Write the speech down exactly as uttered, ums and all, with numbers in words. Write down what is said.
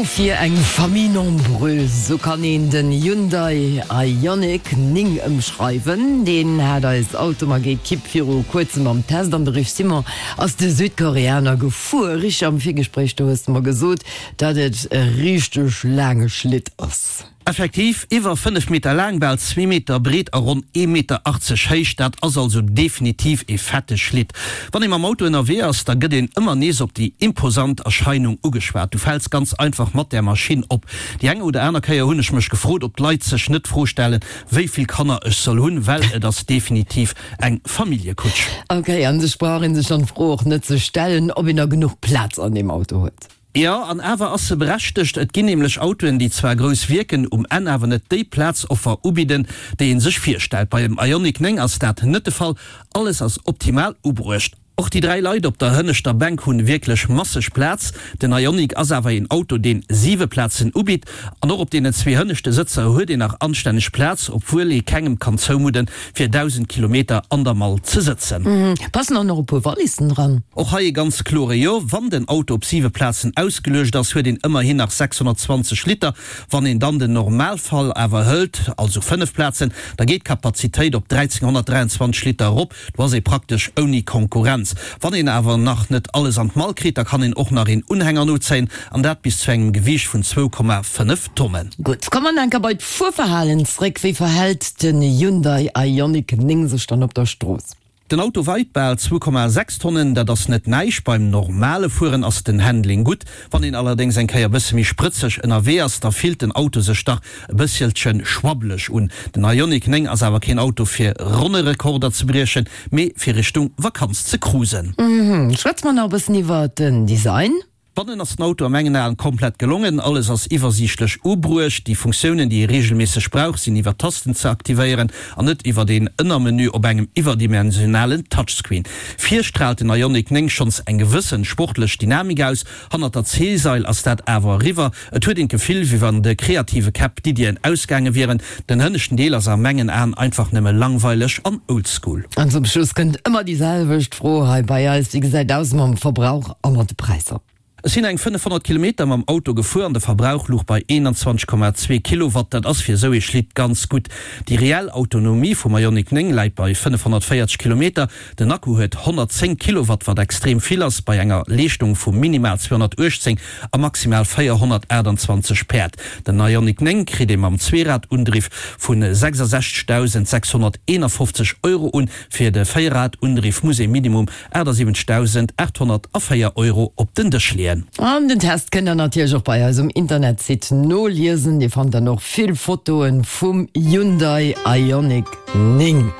Auto fir eng Famille nombreuse, sou kann een den Hyundai Ioniq néng ëmschreiwen. Deen hat eis Automag-Ekipp viru kuerzem am Test an de Rich Simon ass de Südkoreaner gefuer. Rich, am Virgespréich do hues de mer gesot, datt et e richteg laange Schlitt ass. Effektiv, iwwer fënnef Meter laang, bal zwee Meter breet a ronn ee Meter achtzeg héich, dat ass also definitiv ee fette Schlitt. Wann ee mam Auto ënnerwee ass, da gëtt een ëmmer nees op déi imposant Erscheinung ugeschwat. Du fäls ganz einfach mat där Maschinn op. Déi eng oder aner Kéier hunn ech mech gefrot, ob d'Leit sech net d'Fro stellen, wéi vill Kanner ech soll hunn, well et ass definitiv eng Familljekutsch. Ok, an sech brauch een sech dann d'Fro och net ze stellen, ob een da genuch Plaz an deem Auto huet. Jo, an awer ass se berechtegt. Et ginn nämlech Autoen, déi zwar grouss wierken, um Enn awer net déi Plazoffer ubidden, déi ee sech virstellt. Beim Ioniq néng ass dat net de Fall, alles ass optimal ubruecht. Och déi dräi Leit op der hënneschter Bänk hunn wierklech masseg Plaz. Den Ioniq ass awer een Auto, deen siwe Plazen ubitt. An och op deenen zwee hënneschte Sëtzer huet een nach anstänneg Plaz, obwuel ee kengem kann zoumudden, fir dausend Kilometer an der Mall ze sëtzen. Passen och nach e puer Wallissen dran? Och hei e ganz klore Jo. Wann den Auto op siwe Plazen ausgeluecht ass, huet een ëmmerhin nach sechshonnertzwanzeg Liter. Wann een dann den Normalfall awer hëlt, also fënnef Plazen, da geet d'Kapazitéit op dräizehnhonnertdräianzwanzeg Liter erop. Do ass ee praktesch ouni Konkurrenz. Wann een awer nach net alles an d'Mall kritt, da kann een och nach een Unhänger nozéien, an dat bis zu engem Gewiicht vun zwou Komma fënnef Tonnen. Gutt, komme mer enker bei d'Fuerverhalen zréck. Wéi verhält den Hyundai Ioniq néng sech dann op der Strooss? Den Auto weit bal zwou Komma sechs Tonnen, dat ass net näischt. Beim normale Fueren ass den Handling gutt. Wann een allerdéngs eng Kéier bësse méi sprëtzeg ënnerwee ass, da fillt den Auto sech dach e bësselche schwabbeleg un. Den Ioniq néng ass awer keen Auto fir Ronnerekorder ze briechen, mee fir Richtung Vakanz ze cruisen. Schwätze mer nach e bëssen iwwer den Design. Bannen ass den Auto a mengen Aen komplett gelongen, alles ass iwwersiichtlech ubruecht, déi Funktiounen déi ee regelméisseg brauch sinn iwwer Tasten ze aktivéieren an net iwwert een Ënnermenü op engem iwwerdimensionalen Touchscreen. Vir straalt den Ioniq néng schonns eng gewëssen sportlech Dynamik aus, hannert der C-Sail ass dat awer eriwwer, et huet een d'Gefill wéi wann de kreative Käpp d'Iddien ausgaange wieren. Den hënneschten Deel ass a mengen Aen einfach nëmme langweileg an oldschool. An zum Schluss kënnt ëmmer déi selwecht Fro hei bei eis, Wéi gesäit aus mam Verbrauch a mat de Präisser? Ech sinn eng fënnefhonnert Kilometer mam Auto gefuer an de Verbrauch louch bei eenanzwanzeg Komma zwee Kilowatt. Dat ass fir esou ee Schlitt ganz gutt. Déi reell Autonomie vum Ioniq néng läit bei fënnefhonnertvéierzeg Kilometer. Den Akku huet honnertzéng Kilowatt, wat extrem vill ass bei enger Leeschtung vu minimal zweehonnertuechtzéng a maximal véierhonnertaachtanzwanzeg Päerd. Den Ioniq néng kritt ee mam Zweeradundriff vu sechsasechzegdausendsechshonnerteenafofzeg Euro un. Fir de Véierradundriff muss ee minimum achtasiwwenzegdausendaathonnertvéier Euro op den Dësch leeën. An den Test kënnt der natierlech och bei eis um Internetsite noliesen. Dir fannt dann och vill Fotoen vum Hyundai Ioniq néng.